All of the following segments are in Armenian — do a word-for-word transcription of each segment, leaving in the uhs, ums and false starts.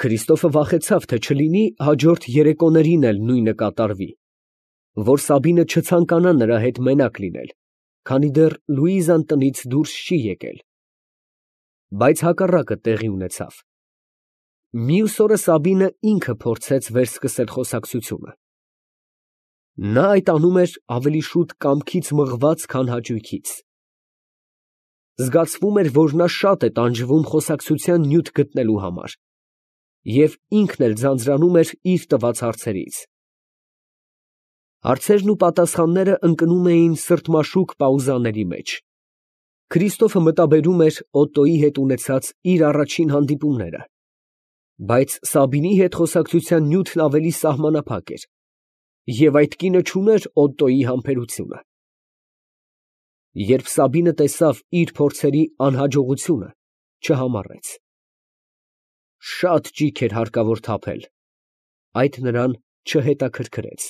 Քրիստոֆը վախեցավ, թե չլինի հաջորդ երեկոներին էլ նույնը կատարվի, որ Սաբինը չցանկանա նրա հետ մենակ լինել, քանի դեռ Լուիզան տնից դուրս չի եկել. բայց հակառակը տեղի ունեցավ. մյուս օրը Սաբինը ինքը փորձեց վերսկսել խոսակցությունը. նա այդ անում էր ավելի շուտ կամքից մղված, քան հաճույքից. զգացվում էր, որ նա շատ է տանջվում խոսակցության նյութ գտնելու համար, և ինքն էլ ձանձրանում էր իր տված հարցերից. հարցերն ու պատասխանները ընկնում էին սրտմաշուկ պաուզաների մեջ. Քրիստոֆը մտաբերում էր Օտտոյի հետ ունեցած իր առաջին հանդիպումները, բայց Սաբինի հետ խոսակցության նյութն ավելի սահմանափակ էր, և այդ կինը չուներ Օտտոյի համբերությունը։ Երբ Սաբինը տեսավ իր փորձերի անհաջողությունը, չհամառեց. շատ ճիգ էր հարկավոր թափել, այդ նրան չհետաքրքրեց.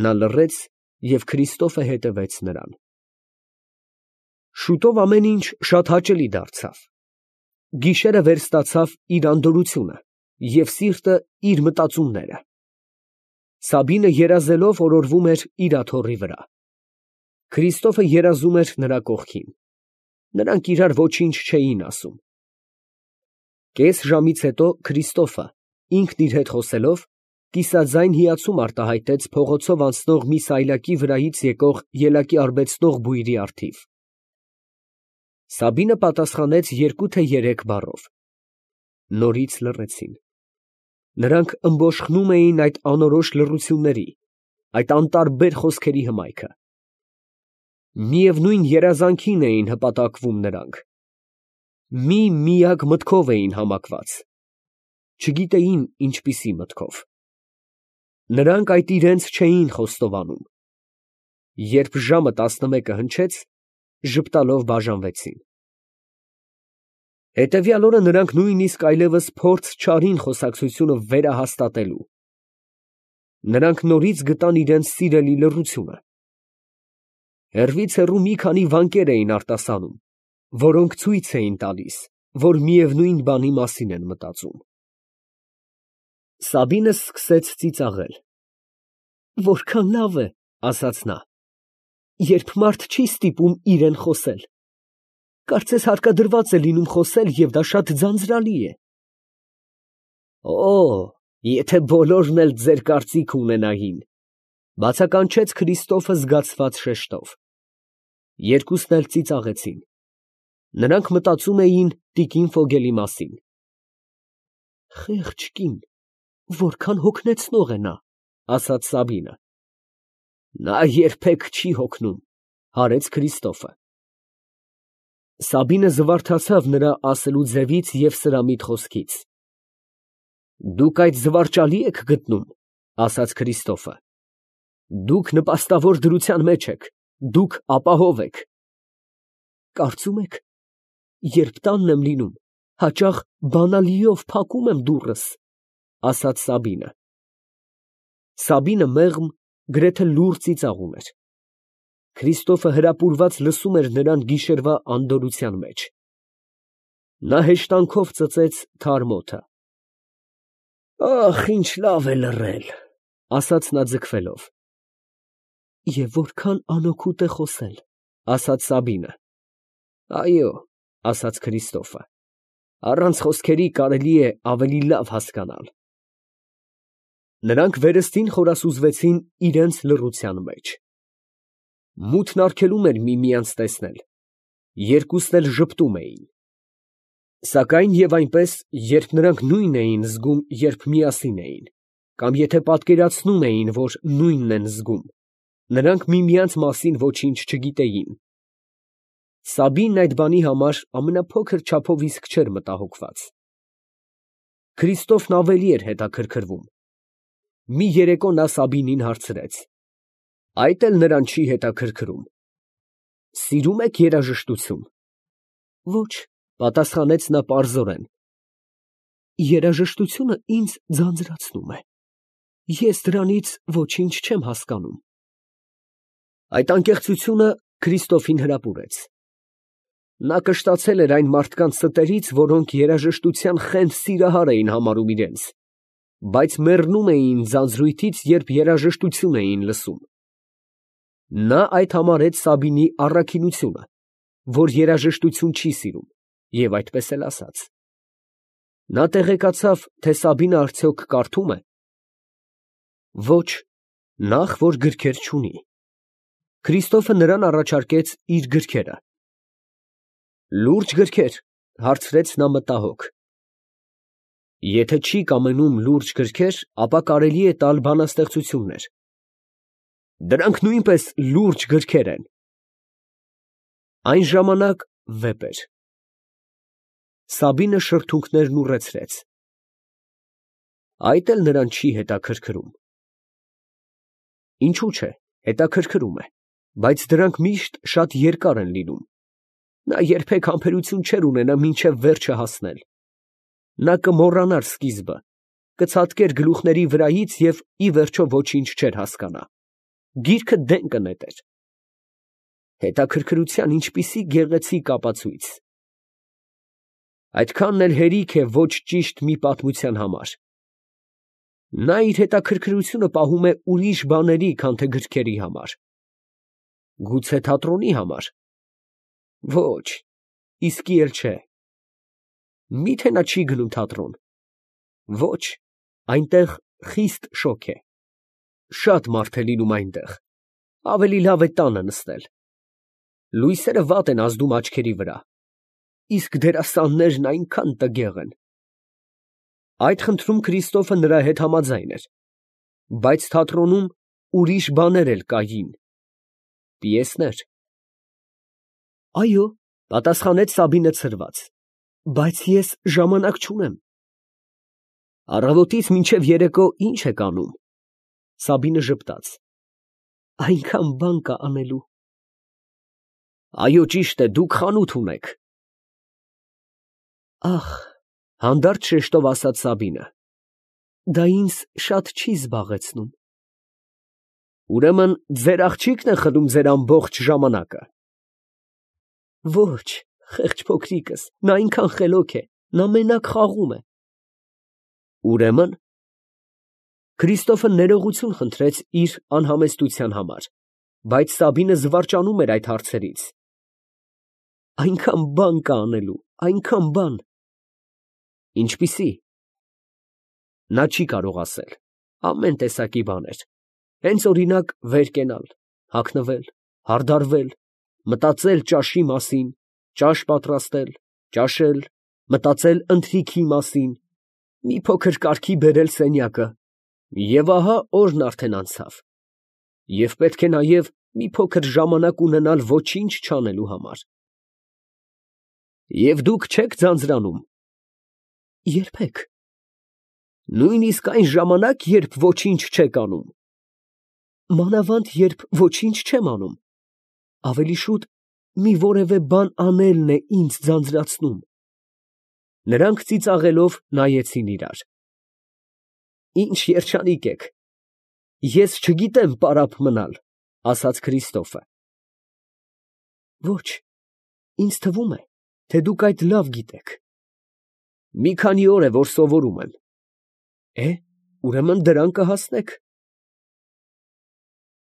նա լռեց և Քրիստոֆը հետևեց նրան։ Շուտով ամեն ինչ շատ հաճելի դարձավ. գիշերը վերստացավ իր անդորրությունը և սիրտը իր մտածումները։ Սաբինը երազելով օրորվում էր իր աթոռի վրա։ Քրիստոֆը երազում էր նրա կողքին. նրանք իրար ոչինչ չէին ասում։ Կես ժամից հետո Քրիստոֆը, ինքն իր հետ խոսելով, կիսաձայն հիացում արտահայտեց փողոցով անցնող մի սայլակի վրայից եկող ելակի արբեցնող բույրի առթիվ։ Սաբինը պատասխանեց երկու թե երեք բառով։ Նորից լռեցին։ Նրանք ըմբոշխնում էին այդ անորոշ լռությունների, այդ անտարբեր խոսքերի հմայքը։ Միևնույն երազանքին էին հպատակվում նրանք։ Մի միակ մտքով էին համակված, չգիտեին ինչպիսի մտքով։ Նրանք այդ իրենց չէին խոստովանում։ Երբ ժամը տասնմեկը հնչեց, ժպտալով բաժանվեցին։ Հետևյալ օրը նրանք նույնիսկ այլևս փորձ չարին խոսակցությունը վերահաստատելու։ Նրանք նորից գտան իրենց սիրելի լռությունը։ Հեռվից հեռու մի քանի վանքեր էին արտասանում, որոնք ցույց էին տալիս, որ միևնույն բանի մասին են մտածում։ Սաբինը սկսեց ծիծաղել։ «Որքան լավ է, ֊ ասաց նա, ֊ երբ մարդ չի ստիպում իրան խոսել։ Կարծես հարկադրված է լինում խոսել, և դա շատ ձանձրալի է»։ «Օ, եթե բոլորն էլ ձեր կարծիքը ունենային, ֊ բացականչեց Քրիստոֆը զգացված շեշտով։ Երկուսն էլ ծիծաղեցին։ Նրանք մտածում էին տիկին Ֆոգելի մասին։ «Խեղճ կին, որքան հոգնեցնող է նա», ֊ ասաց Սաբինը։ «Նա երբեք չի հոգնում», ֊ հարեց Քրիստոֆը։ Սաբինը զվարթացավ նրա ասելու ձևից և սրամիտ խոսքից։ «Դուք այդ զվարճալի եք գտնում», ֊ ասաց Քրիստոֆը։ «Դուք նպաստավոր դրության մեջ եք, դուք ապահով եք»։ «Կարծում եք, երբ տանն եմ լինում, հաճախ բանալիով փակում եմ դուռս», ֊ ասաց Սաբինը։ Սաբինը մեղմ, գրեթե լուռ ծիծաղում էր։ Քրիստոֆը հրապուրված լսում էր նրան գիշերվա անդորրության մեջ։ Նա հեշտանքով ծծեց թարմ օդը։ «Ախ, ինչ լավ է լռել», ֊ ասաց նա ձգվելով։ «Եվ որքան անօգուտ է խոսել», ֊ ասաց Սաբինը։ «Այո», ֊ ասաց Քրիստոֆը, «առանց խոսքերի կարելի է ավելի լավ հասկանալ»։ Նրանք վերստին խորասուզվեցին իրենց լռության մեջ։ Մութն արգելում էր միմյանց տեսնել, երկուսն էլ ժպտում էին։ Սակայն և այնպես, երբ նրանք նույնն էին զգում, երբ միասին էին, կամ եթե պատկերացնում էին, որ նույնն են զգում, նրանք միմյանց մասին ոչինչ չգիտեին։ Սաբինն այդ բանի համար ամենափոքր չափով իսկ չէր մտահոգված։ Քրիստոֆն ավելի էր հետաքրքրվում։ Մի երեկո նա Սաբինին հարցրեց. «Այդ էլ նրան չի հետաքրքրում։ Սիրում եք երաժշտություն»։ «Ոչ», ֊ պատասխանեց նա պարզորեն։ «Երաժշտությունը ինձ ձանձրացնում է. ես դրանից ոչինչ չեմ հասկանում»։ Այդ անկեղծությունը Քրիստոֆին հրապուրեց։ Նա կշտացել էր այն մարդկանց ստերից, որոնք երաժշտության խենթ սիրահար էին համարում իրենց, բայց մեռնում էին ձանձրույթից, երբ երաժշտություն էին լսում։ Նա այդ համարեց Սաբինի առաքինությունը, որ երաժշտություն չի սիրում, և այդպես էլ ասաց։ Նա տեղեկացավ, թե Սաբինը արդյոք կարդում է։ Ոչ, նախ որ գրքեր չունի։ Քրիստոֆը նրան առաջարկեց իր գրքերը։ Լուրջ գրքեր, հարցրեց նա մտահոգ։ Եթե չի կամենում լուրջ գրքեր, ապա կարելի է տալ բանաստեղծություններ։ Դրանք նույնպես լուրջ գրքեր են։ Այն ժամանակ վեպ էր։ Սաբինը շրթունքներն ուռեցրեց։ Այդ էլ նրան չի հետաքրքրում։ Ինչու՞ չէ, հետաքրքրում է, բայց դրանք միշտ շատ երկար են լինում։ Նա երբեք համբերություն չէր ունենա մինչև վերջը հասնել։ Նա կմոռանար սկիզբը, կցատկեր գլուխների վրայից և ի վերջո ոչինչ չէր հասկանա։ Գիրքը դեն կնետեր։ Հետաքրքրության ինչպիսի գեղեցիկ ապացույց։ Այդքանն էլ հերիք է ոչ ճիշտ մի պատմության համար։ Նա իր հետաքրքրությունը պահում է ուրիշ բաների, քան թե գրքերի համար։ Գուցե թատրոնի համար։ Ոչ, իսկի էլ չէ։ Մի՞թե նա չի գնում թատրոն։ Ոչ, այնտեղ խիստ շոգ է։ Շատ մարդ է լինում այնտեղ։ Ավելի լավ է տանը նստել։ Լույսերը վատ են ազդում աչքերի վրա։ Իսկ դերասաններն այնքան տգեղ են։ Այդ խնդրում Քրիստոֆը նրա հետ համաձայն էր։ Բայց թատրոնում ուրիշ բաներ էլ կային։ Պիեսներ։ Այո, պատասխանեց Սաբինը ցրված, բայց ես ժամանակ չունեմ։ Առավոտից մինչև երեկո ի՞նչ եք անում։ Սաբինը ժպտաց։ Այնքան բան կա անելու։ Այո, ճիշտ է, դուք խանութ ունեք։ Ախ, հանդարտ շեշտով ասաց Սաբինը, դա ինձ շատ չի զբաղեցնում։ Ուրեմն ձեր աղջիկն է խլում ձեր ամբողջ ժամանակը։ Ոչ, խեղճ փոքրիկս, նա այնքան խելոք է, նա մենակ խաղում է։ Ուրեմն Քրիստոֆը ներողություն խնդրեց իր անհամեստության համար, բայց Սաբինը զվարճանում էր այդ հարցերից։ Այնքան բան կա անելու, այնքան բան։ Ինչպիսի։ Նա չի կարող ասել, ամեն տեսակի բաներ։ Հենց օրինակ վեր կենալ, հագնվել, հարդարվել, մտածել ճաշի մասին, ճաշ պատրաստել, ճաշել, մտածել ընթրիքի մասին, մի փոքր կարգի բերել սենյակը, և ահա օրն արդեն անցավ, և պետք է նաև մի փոքր ժամանակ ունենալ ոչինչ չանելու համար։ Եվ դուք չեք ձանձրանում։ Երբեք։ Նույնիսկ այն ժամանակ, երբ ոչինչ չեք անում։ Մանավանդ, երբ ոչինչ չեմ անում, ավելի շուտ մի որևէ բան անելն է ինձ ձանձրացնում։ Նրանք ծիծաղելով նայեցին իրար։ Ինչ երջանիկ եք։ Ես չգիտեմ պարապ մնալ, ասաց Քրիստոֆը։ Ոչ, ինձ թվում է, թե դուք այդ լավ գիտեք։ Մի քանի օր է, որ սովորում եմ։ Է, ուրեմն դրան կհասնեք։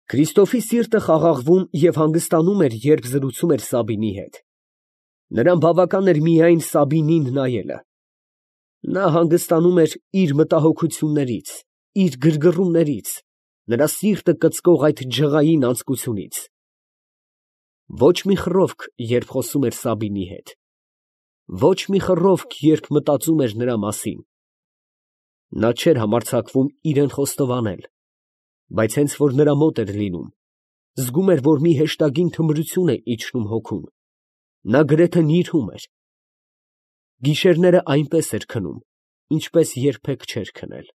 Քրիստոֆի սիրտը խաղաղվում և հանգստանում էր, երբ զրուցում էր Սաբինի հետ։ Նրան բավական էր միայն Սաբինին նայելը։ Նա հանգստանում էր իր մտահոգություններից, իր գրգռումներից, նրա սիրտը կծկող այդ ջղային անձկությունից։ Ոչ մի խռովք, երբ խոսում էր Սաբինի հետ։ Ոչ մի խռովք, երբ մտածում էր նրա մասին։ Նա չէր համարձակվում իրան խոստովանել, բայց հենց որ նրա մոտ էր լինում, զգում էր, որ մի հեշտագին թմրություն է իջնում հոգուն։ Նա գրեթե նիրհում էր։ Գիշերները այնպես էր քնում, ինչպես երբեք չէր քնել։